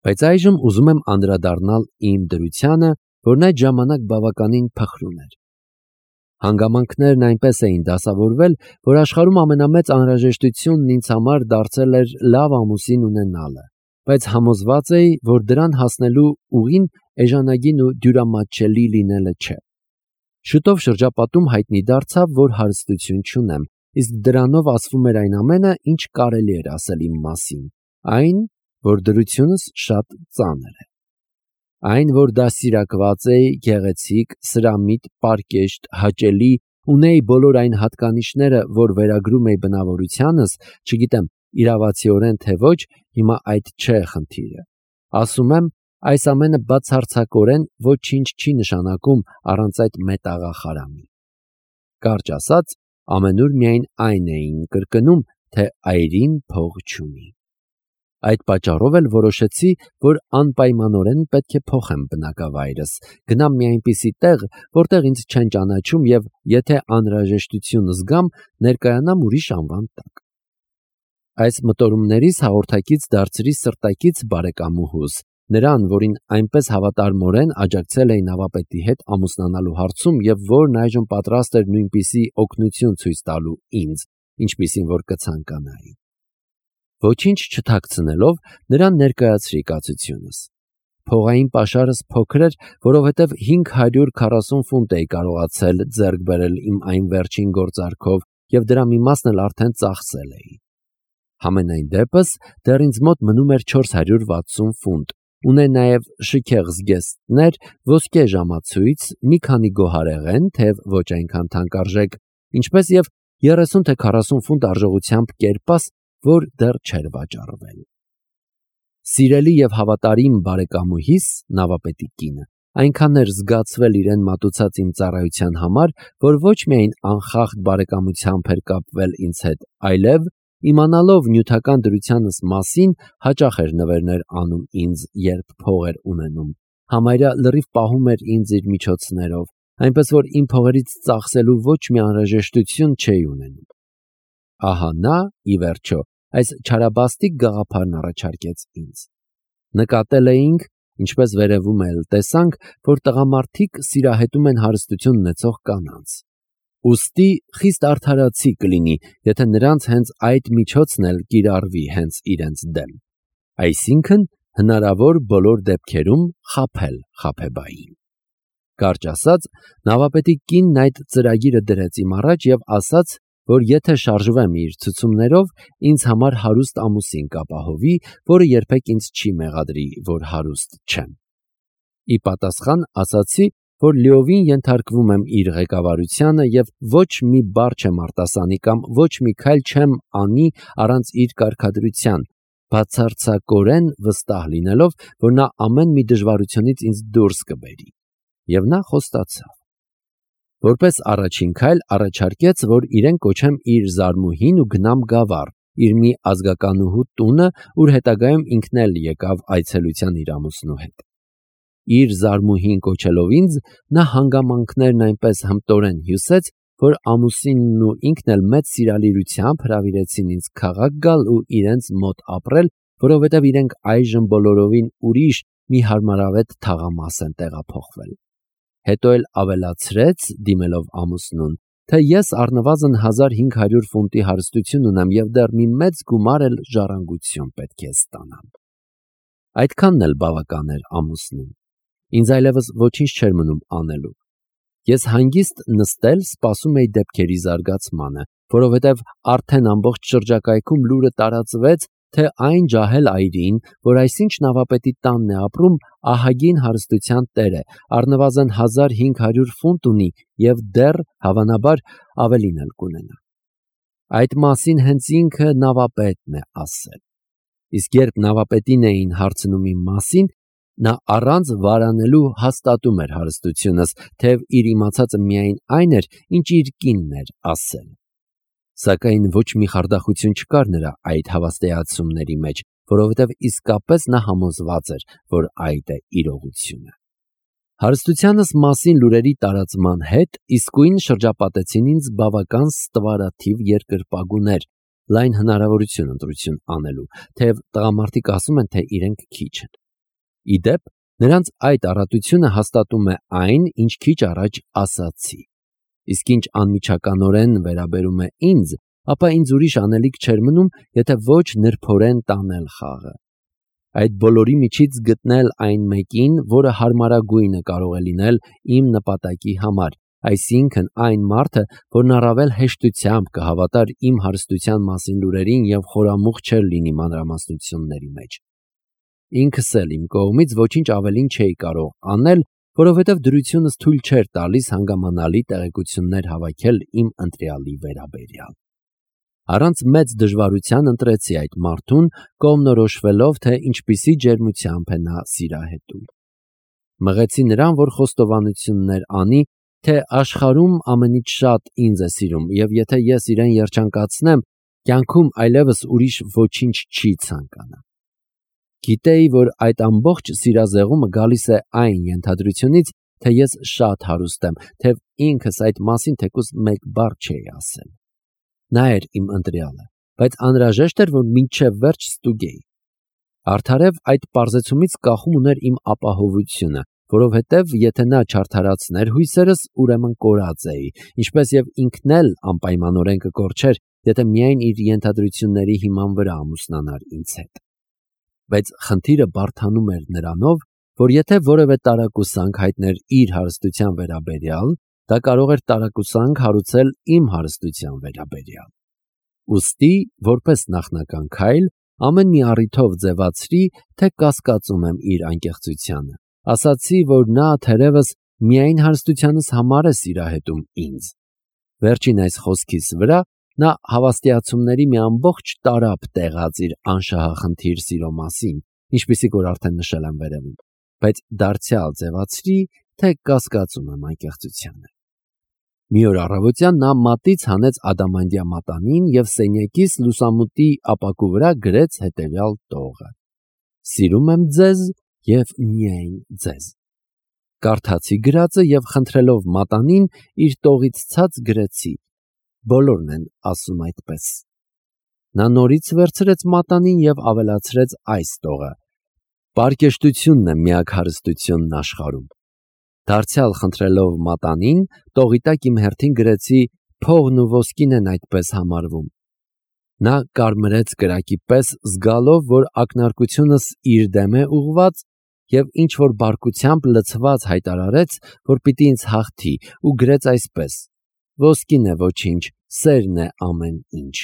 Բայց այժմ ուզում եմ անդրադառնալ իմ դրությանը, որն այդ ժամանակ բավականին փխրուն էր։ Հանգամանքներն այնպես էին դասավորվել, որ աշխարհում ամենամեծ անհրաժեշտությունն ինձ համար դարձել էր լավ ամուսին ունենալը, բայց համոզված էի, որ դրան հասնելու ուղին էժանագին ու դյուրամատչելի լինելը չէ։ Շուտով շրջապատում հայտնի դարձավ, որ հարստություն չունեմ, իսկ դրանով ասվում էր այն ամենը, ինչ կարելի էր ասել իմ մասին, այն, որ դրությունս շատ ծանր է։ Այն, որ դաստիարակված էի, գեղեցիկ, սրամիտ, պարկեշտ, հաճելի, ունեի բոլոր այն հատկանիշները, որ վերագրում էի բնավորությանս, չգիտեմ, իրավացիորեն թե ոչ, հիմա այդ չէ խնդիրը։ Ասում եմ, այս ամենը բացարձակորեն ոչինչ չի նշանակում առանց այդ մետաղախարամի։ Կարճ ասած, ամենուր միայն այն էին կրկնում, թե այրին փող չունի։ Այդ պատճառով էլ որոշեցի, որ անպայմանորեն պետք է փոխեմ բնակավայրս, գնամ մի այնպիսի տեղ, որտեղ ինձ չեն ճանաչում եւ եթե անհրաժեշտություն զգամ, ներկայանամ ուրիշ անվան տակ։ Այս մտորումներիս հաղորդակից դարձրի սրտակից բարեկամուհուս, նրան, որին այնպես հավատարմորեն աջակցել էի նավապետի հետ ամուսնանալու հարցում եւ որն այժմ պատրաստ էր նույնպիսի օգնություն ցույց տալու ինձ, ինչպիսին որ կցանկանայի։ Ոչինչ չթաքցնելով նրան ներկայացրի կացությունս։ Փողային պաշարս փոքր էր, որովհետև 540 ֆունտ էի կարողացել ձեռք բերել իմ այն վերջին գործարքով եւ դրա մի մասն էլ արդեն ծախսել էի։ Համենայն դեպս դեռ ինձ մոտ մնում էր 460 ֆունտ, ունե նաեւ շքեղ զգեստներ, ոսկե ժամացույց, մի քանի գոհարեղեն, թեև ոչ այնքան թանկարժեք, ինչպես եւ 30 թե 40 ֆունտ արժողությամբ կերպաս, որ դեռ չէր վաճառվել։ Սիրելի եւ հավատարիմ բարեկամուհիս, նավապետի կինը, այնքան էր զգացվել իրեն մատուցած իմ ծառայության համար, որ ոչ միայն անխախտ բարեկամությամբ էր կապվել ինձ հետ, այլև իմանալով նյութական դրությանս մասին հաճախ էր նվերներ անում ինձ, երբ փող էր ունենում, համարյա լրիվ պահում էր ինձ իր միջոցներով, այնպես որ իմ փողերից ծախսելու ոչ մի անհրաժեշտություն չէի ունենում։ Ահա նա, ի վերջո, այս չարաբաստիկ գաղափարն առաջարկեց ինձ։ Նկատել էինք, ինչպես վերևում էլ տեսանք, որ տղամարդիկ սիրահետում են հարստություն ունեցող կանանց։ Ուստի խիստ արդարացի կլինի, եթե նրանց հենց այդ միջոցն էլ կիրառվի հենց իրենց դեմ։ Այսինքն, հնարավոր բոլոր դեպքերում խաբել խաբեբային։ Կարճ ասած, նավապետի կինն այդ ծրագիրը դրեց իմ առաջ եւ ասաց, որ եթե շարժվեմ իր ցուցումներով, ինձ համար հարուստ ամուսին կապահովի, որը երբեք ինձ չի մեղադրի, որ հարուստ չեմ։ Ի պատասխան ասացի, որ լիովին ենթարկվում եմ իր ղեկավարությանը եւ ոչ մի բառ չեմ արտասանի կամ ոչ մի քայլ չեմ անի առանց իր կարգադրության, բացարձակորեն վստահ լինելով, որ նա ամեն մի դժվարությունից ինձ դուրս կբերի։ Եվ նա խոստացավ։ Որպես առաջին քայլ առաջարկեց, որ իրեն կոչեմ իր զարմուհին ու գնամ Գավառ, իր մի ազգականուհու տունը, ուր հետագայում ինքն էլ եկավ այցելության իր ամուսնու հետ։ Իր զարմուհին կոչելով ինձ, նա հանգամանքներն այնպես հմտորեն հյուսեց, որ ամուսինն ու ինքն էլ մեծ սիրալիրությամբ հրավիրեցին ինձ քաղաք գալ ու իրենց մոտ ապրել, որովհետև իրենք այժմ բոլորովին ուրիշ մի հարմարավետ թաղամաս են տեղափոխվել։ Հետո էլ ավելացրեց, դիմելով ամուսնուն, թե ես առնվազն 1500 ֆունտի հարստություն ունեմ եւ դեռ մի մեծ գումար էլ ժառանգություն պետք է ստանամ։ Այդքանն էլ բավական էր ամուսնուն։ Ինձ այլևս ոչինչ չէր մնում անելու։ Ես հանգիստ նստել սպասում էի դեպքերի զարգացմանը, որովհետև արդեն ամբողջ շրջակայքում լուրը տարածվեց, թե այն ջահել այրին, որ այսինչ նավապետի տանն է ապրում, ահագին հարստության տեր է, առնվազն 1500 ֆունտ ունի եւ դեռ հավանաբար ավելին էլ կունենա։ Այդ մասին հենց ինքը նավապետն է ասել։ Իսկ երբ նավապետին էին հարցնում իմ մասին, նա առանց վարանելու հաստատում էր հարստությունս, թեև իր իմացածը միայն այն էր, ինչ իր կինն էր ասել։ Սակայն ոչ մի խարդախություն չկար նրա այդ հավաստիացումների մեջ, որովհետև իսկապես նա համոզված էր, որ այդ է իրողությունը։ Հարստությանս մասին լուրերի տարածման հետ իսկույն շրջապատեցին ինձ բավական ստվարաթիվ երկրպագուներ, լայն հնարավորություն ընտրություն անելու, թեև տղամարդիկ ասում են, թե իրենք քիչ են։ Իդեպ, նրանց այդ առատությունը հաստատում է այն, ինչ քիչ առաջ ասացի։ Իսկ ինչ անմիջականորեն վերաբերում է ինձ, ապա ինձ ուրիշ անելիք չէր մնում, եթե ոչ նրբորեն տանել խաղը։ Այդ բոլորի միջից գտնել այն մեկին, որը հարմարագույնը կարող է լինել իմ նպատակի համար, այսինքն այն մարդը, որն առավել հեշտությամբ կհավատար իմ հարստության մասին լուրերին և խորամուխ չէր լինի մանրամասնությունների մեջ։ Ինքս էլ իմ կողմից ոչինչ ավելին չէի կարող անել, որովհետև դրությունս թույլ չէր տալիս հանգամանալի տեղեկություններ հավաքել իմ ընտրյալի վերաբերյալ։ Առանց մեծ դժվարության ընտրեցի այդ մարդուն, կողմնորոշվելով, թե ինչպիսի ջերմությամբ է նա սիրահետում։ Մղեցի նրան, որ խոստովանություններ անի, թե աշխարհում ամենից շատ ինձ է սիրում, և եթե ես իրեն երջանկացնեմ, կյանքում այլևս ուրիշ ոչինչ չի ցանկանա։ Գիտեի, որ այդ ամբողջ սիրազեղումը գալիս է այն ենթադրությունից, թե ես շատ հարուստ եմ, թեև ինքս այդ մասին թեկուզ մեկ բառ չէի ասել։ Նա էր իմ ընտրյալը, բայց անհրաժեշտ էր, որ մինչև վերջ ստուգեի։ Արդարև այդ պարզեցումից կախում ուներ իմ ապահովությունը, որովհետև եթե նա չարդարացներ հույսերս, ուրեմն կորած էի, ինչպես և ինքն էլ անպայմանորեն կկորչեր, եթե միայն իր ենթադրությունների հիման վրա ամուսնանար ինձ հետ։ Բայց խնդիրը բարդանում էր նրանով, որ եթե որևէ տարակուսանք հայտներ իր հարստության վերաբերյալ, դա կարող էր տարակուսանք հարուցել իմ հարստության վերաբերյալ։ Ուստի, որպես նախնական քայլ, ամեն մի առիթով ձևացրի, թե կասկածում եմ իր անկեղծությանը։ Ասացի, որ նա թերևս միայն հարստությանս համար է սիրահետում ինձ։ Վերջին այս խոսքիս վրա նա հավաստիացումների մի ամբողջ տարափ տեղաց իր անշահախնդիր սիրո մասին, ինչպիսիք որ արդեն նշել եմ վերևում, բայց դարձյալ ձևացրի, թե կասկածում եմ անկեղծությանը։ Մի օր առավոտյան նա մատից հանեց ադամանդյա մատանին և սենյակիս լուսամուտի ապակու վրա գրեց հետևյալ տողը. «Սիրում եմ ձեզ և միայն ձեզ»։ Կարդացի գրածը և խնդրելով մատանին իր տողից ցած գրեցի. «Բոլորն են ասում այդպես»։ Նա նորից վերցրեց մատանին և ավելացրեց այս տողը. «Պարկեշտությունն է միակ հարստությունն աշխարհում»։ Դարձյալ խնդրելով մատանին, տողի տակ իմ հերթին գրեցի. «Փողն ու ոսկին են այդպես համարվում»։ Նա կարմրեց կրակի պես, զգալով, որ ակնարկությունս իր դեմ է ուղղված, և ինչ-որ բարկությամբ լցված հայտարարեց, որ պիտի ինձ հաղթի, ու գրեց այսպես. «Ոսկին է ոչինչ, սերն է ամեն ինչ»։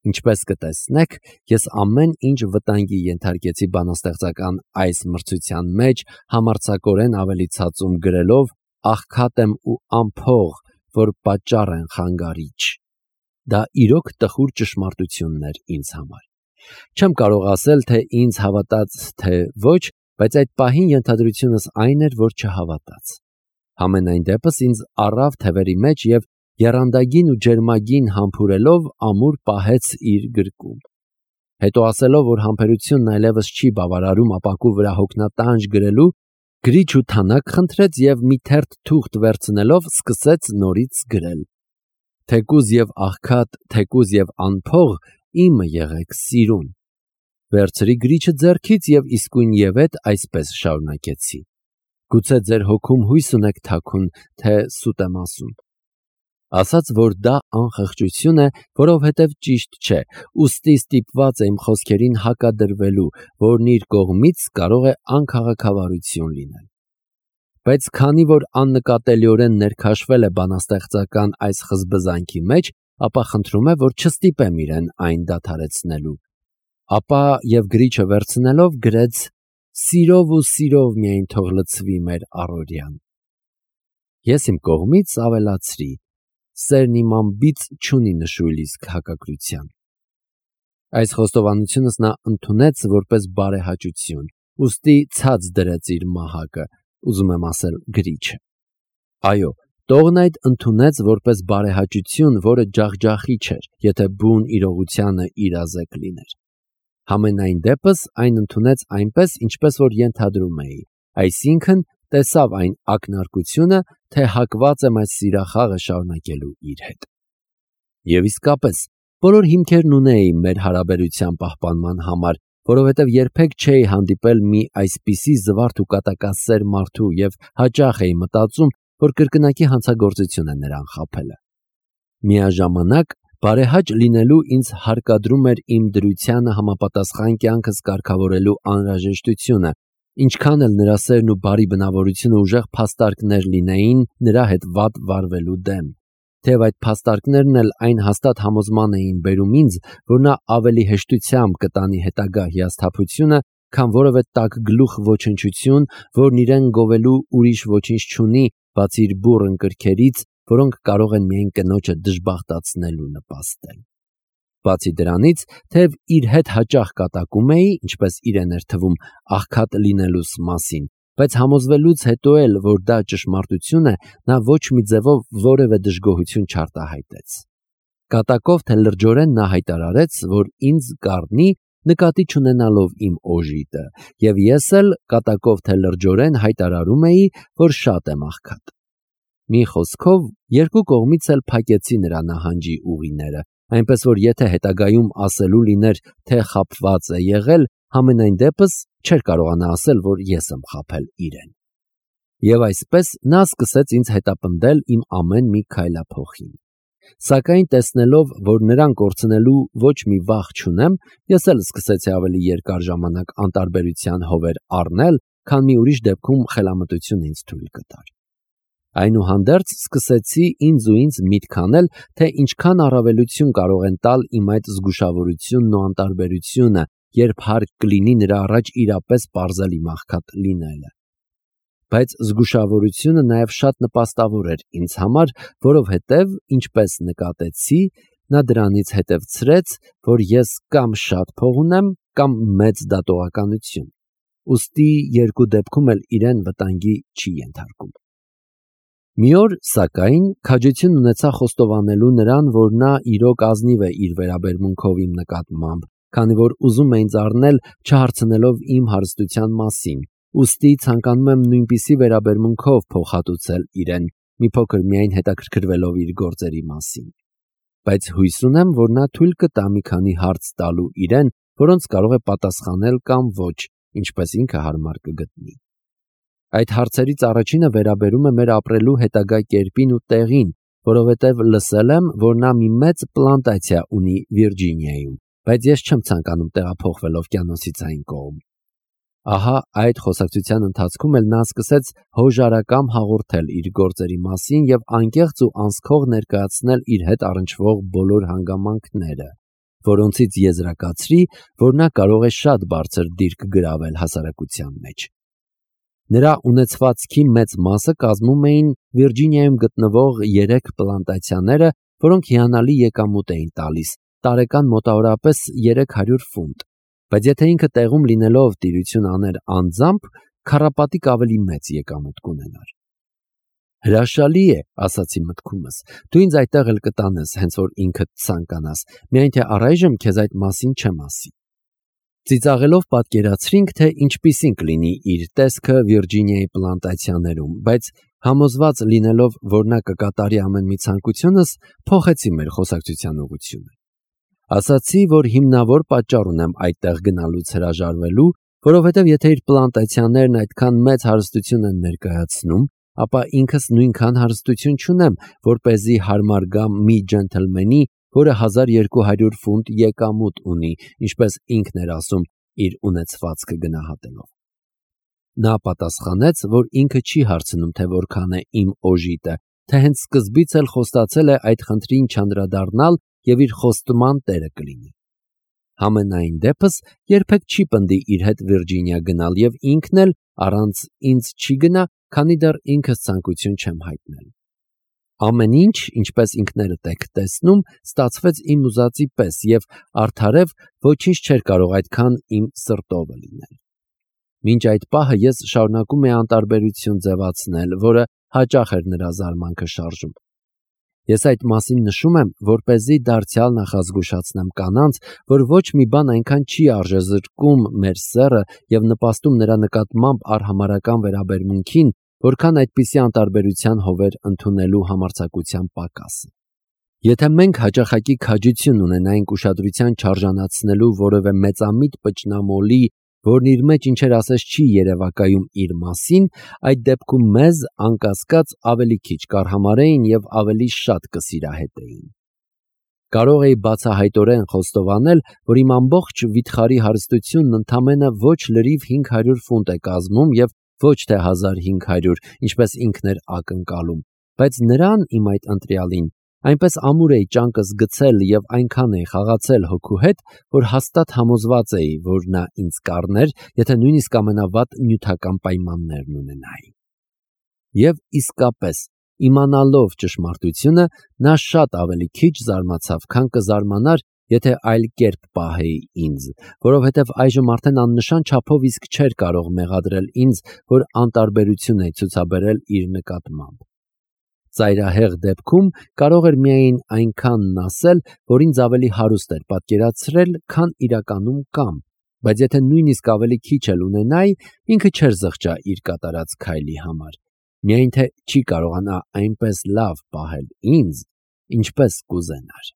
Ինչպես կտեսնեք, ես ամեն ինչ վտանգի ենթարկեցի բանաստեղծական այս մրցության մեջ, համարձակորեն ավելի ցածում գրելով. «Աղքատ եմ ու անփող, որ պատճառ են խանգարիչ»։ Դա իրոք տխուր ճշմարտությունն էր ինձ համար։ Չեմ կարող ասել, թե ինձ հավատաց, թե ոչ, բայց այդ պահին ենթադրությունս այն էր, որ չհավատաց։ Համենայն դեպս ինձ առավ թևերի մեջ և եռանդագին ու ջերմագին համբուրելով ամուր պահեց իր գրկում։ Հետո ասելով, որ համբերությունն այլևս չի բավարարում ապակու վրա հոգնատանջ գրելու, գրիչ ու թանակ խնդրեց և մի թերթ թուղթ վերցնելով սկսեց նորից գրել. «Թեկուզ և աղքատ, թեկուզ և անփող, իմը եղեք սիրուն»։ Վերցրի գրիչը ձեռքից և իսկույնևեթ այսպես շարունակեցի. «Գուցե ձեր հոգում հույս ունեք թաքուն, թե սուտ եմ ասում»։ Ասաց, որ դա անխղճություն է, որովհետև ճիշտ չէ, ուստի ստիպված է իմ խոսքերին հակադրվելու, որն իր կողմից կարող է անքաղաքավարություն լինել։ Բայց քանի որ աննկատելիորեն ներքաշվել է բանաստեղծական այս խզբզանքի մեջ, ապա խնդրում է, որ չստիպեմ իրեն այն դադարեցնելու։ Ապա և գրիչը վերցնելով գրեց. «Սիրով ու սիրով միայն թող լցվի մեր առօրյան»։ Ես իմ կողմից ավելացրի. «Սերն իմ անբիծ չունի նշույլ իսկ հակակրության»։ Այս խոստովանությունս նա ընդունեց որպես բարեհաճություն, ուստի ցած դրեց իր մահակը, ուզում եմ ասել գրիչը։ Այո, տողն այդ ընդունեց որպես բարեհաճություն, որը ջախջախիչ էր, եթե բուն իրողությանը իրազեկ լիներ։ Համենայն դեպս այն ընդունեց այնպես, ինչպես որ ենթադրում էի, այսինքն տեսավ այն ակնարկությունը, թե հակված եմ այս սիրախաղը շարունակելու իր հետ։ Եվ իսկապես, բոլոր հիմքերն ունեի մեր հարաբերության պահպանման համար, որովհետև երբեք չէի հանդիպել մի այսպիսի զվարթ ու կատակասեր մարդու և հաճախ էի մտածում, որ կրկնակի հանցագործություն է նրան խաբելը։ Միաժամանակ բարեհաճ լինելու ինձ հարկադրում էր իմ դրությանը համապատասխան կյանքս կարգավորելու անհրաժեշտությունը, ինչքան էլ նրա սերն ու բարի բնավորությունը ուժեղ փաստարկներ լինեին նրա հետ վատ վարվելու դեմ։ Թեև այդ փաստարկներն էլ այն հաստատ համոզման էին բերում ինձ, որ նա ավելի հեշտությամբ կտանի հետագա հիասթափությունը, քան որևէ տաք գլուխ ոչնչություն, որն իրեն գովելու ուրիշ ոչինչ չունի, բացի իր բուռն կրքերից, որոնք կարող են միայն կնոջը դժբախտացնելու նպաստել։ Բացի դրանից, թեև իր հետ հաճախ կատակում էի, ինչպես իրեն էր թվում, աղքատ լինելուս մասին, բայց համոզվելուց հետո էլ, որ դա ճշմարտություն է, նա ոչ մի ձևով որևէ դժգոհություն չարտահայտեց։ Կատակով թե լրջորեն նա հայտարարեց, որ ինձ կառնի, նկատի չունենալով իմ օժիտը, և ես էլ կատակով թե լրջորեն հայտարարում էի, որ շատ եմ աղքատ։ Մի խոսքով, երկու կողմից էլ փակեցի նրա նահանջի ուղիները, այնպես որ եթե հետագայում ասելու լիներ, թե խաբված է եղել, համենայն դեպս չէր կարողանա ասել, որ ես եմ խաբել իրեն։ Եվ այսպես նա սկսեց ինձ հետապնդել իմ ամեն մի քայլափոխին։ Սակայն տեսնելով, որ նրան կորցնելու ոչ մի վախ չունեմ, ես էլ սկսեցի ավելի երկար ժամանակ անտարբերության հովեր առնել, քան մի ուրիշ դեպքում խելամտությունը ինձ թույլ կտար։ Այնուհանդերձ սկսեցի ինձ միտք անել, թե ինչքան առավելություն կարող են տալ իմ այդ զգուշավորությունն ու անտարբերությունը, երբ հարկ կլինի նրա առաջ իրապես պարզել իմ աղքատ լինելը։ Բայց զգուշավորությունը նաև շատ նպաստավոր էր ինձ համար, որովհետև, ինչպես նկատեցի, նա դրանից հետևցրեց, որ ես կամ շատ փող ունեմ, կամ մեծ դատողականություն։ Ուստի երկու դեպքում էլ իրեն վտանգի չի ենթարկում։ Մի օր, սակայն, քաջություն ունեցա խոստովանելու նրան, որ նա իրոք ազնիվ է իր վերաբերմունքով իմ նկատմամբ, քանի որ ուզում է ինձ առնել չհարցնելով իմ հարստության մասին, ուստի ցանկանում եմ նույնպիսի վերաբերմունքով փոխհատուցել իրեն, մի փոքր միայն հետաքրքրվելով իր գործերի մասին։ Բայց հույս ունեմ, որ նա թույլ կտա մի քանի հարց տալու իրեն, որոնց կարող է պատասխանել կամ ոչ, ինչպես ինքը հարմար կգտնի։ Այդ հարցերից առաջինը վերաբերում է մեր ապրելու հետագա կերպին ու տեղին, որովհետև լսել եմ, որ նա մի մեծ պլանտացիա ունի Վիրջինիայում, բայց ես չեմ ցանկանում տեղափոխվել օվկիանոսից այն կողմ։ Ահա այդ խոսակցության ընթացքում էլ նա սկսեց հոժարակամ հաղորդել իր գործերի մասին և անկեղծ ու անսքող ներկայացնել իր հետ առնչվող բոլոր հանգամանքները, որոնցից եզրակացրի, որ նա կարող է շատ բարձր դիրք գրավել հասարակության մեջ։ Նրա ունեցվածքի մեծ մասը կազմում էին Վիրջինիայում գտնվող 3 պլանտացիաները, որոնք հիանալի եկամուտ էին տալիս, տարեկան մոտավորապես 300 ֆունտ, բայց եթե ինքը տեղում լինելով տիրություն աներ անձամբ, քառապատիկ ավելի մեծ եկամուտ կունենար։ Հրաշալի է, ասացի մտքումս, դու ինձ այդտեղ էլ կտանես, հենց որ ինքդ ցանկանաս, միայն թե առայժմ քեզ այդ մասին չեմ ասի։ Ծիծաղելով պատկերացրինք, թե ինչպիսին կլինի իր տեսքը Վիրջինիայի պլանտացիաներում, բայց համոզված լինելով, որ նա կկատարի ամեն մի ցանկությունս, փոխեցի մեր խոսակցության ուղղությունը։ Ասացի, որ հիմնավոր պատճառ ունեմ այդտեղ գնալուց հրաժարվելու, որովհետև եթե իր պլանտացիաներն այդքան մեծ հարստություն են ներկայացնում, ապա ինքս նույնքան հարստություն չունեմ, որպեսզի հարմար գամ մի ջենթլմենի, որը 1200 ֆունտ եկամուտ ունի, ինչպես ինքն էր ասում իր ունեցվածքը գնահատելով։ Նա պատասխանեց, որ ինքը չի հարցնում, թե որքան է իմ օժիտը, թե հենց սկզբից էլ խոստացել է այդ խնդրին չանդրադառնալ և իր խոստման տերը կլինի։ Համենայն դեպս երբեք չի պնդի իր հետ Վիրջինիա գնալ և ինքն էլ առանց ինձ չի գնա, քանի դեռ ինքս ցանկություն չեմ հայտնել։ Ամեն ինչ, ինչպես ինքներդ եք տեսնում, ստացվեց իմ ուզածի պես և արդարև ոչինչ չէր կարող այդքան իմ սրտովը լինել։ Մինչ այդ պահը ես շարունակում էի անտարբերություն ձևացնել, որը հաճախ էր նրա զարմանքը շարժում։ Ես այդ մասին նշում եմ, որպեսզի դարձյալ նախազգուշացնեմ կանանց, որ ոչ մի բան այնքան չի արժեզրկում մեր սեռը և նպաստում նրա նկատմամբ արհամարհական վերաբերմունքին, որքան այդպիսի անտարբերության հովեր ընդունելու համարձակության պակասը։ Եթե մենք հաճախակի քաջություն ունենայինք ուշադրության չարժանացնելու որևէ մեծամիտ պճնամոլի, որն իր մեջ ինչեր ասես չի երևակայում իր մասին, այդ դեպքում մեզ անկասկած ավելի քիչ կարհամարեին եւ ավելի շատ կսիրահետեին։ Կարող էի բացահայտորեն խոստովանել, որ իմ ամբողջ վիթխարի հարստությունն ընդամենը ոչ լրիվ 500 ֆունտ է կազմում եւ ոչ թե 1500, ինչպես ինքն էր ակնկալում, բայց նրան, իմ այդ ընտրյալին, այնպես ամուր էի ճանկս գցել եւ այնքան էի խաղացել հոգու հետ, որ հաստատ համոզված էի, որ նա ինձ կառներ, եթե նույնիսկ ամենավատ նյութական պայմաններն ունենայի։ Եվ իսկապես, իմանալով ճշմարտությունը, նա շատ ավելի քիչ զարմացավ, քան կզարմանար, եթե այլ կերպ պահեի ինձ, որովհետև այժմ արդեն աննշան չափով իսկ չէր կարող մեղադրել ինձ, որ անտարբերություն էի ցուցաբերել իր նկատմամբ։ Ծայրահեղ դեպքում կարող էր միայն այնքանն ասել, որ ինձ ավելի հարուստ էր պատկերացրել, քան իրականում կամ, բայց եթե նույնիսկ ավելի քիչ էլ ունենայի, ինքը չէր զղջա իր կատարած քայլի համար, միայն թե չի կարողանա այնպես լավ պահել ինձ, ինչպես կուզենար։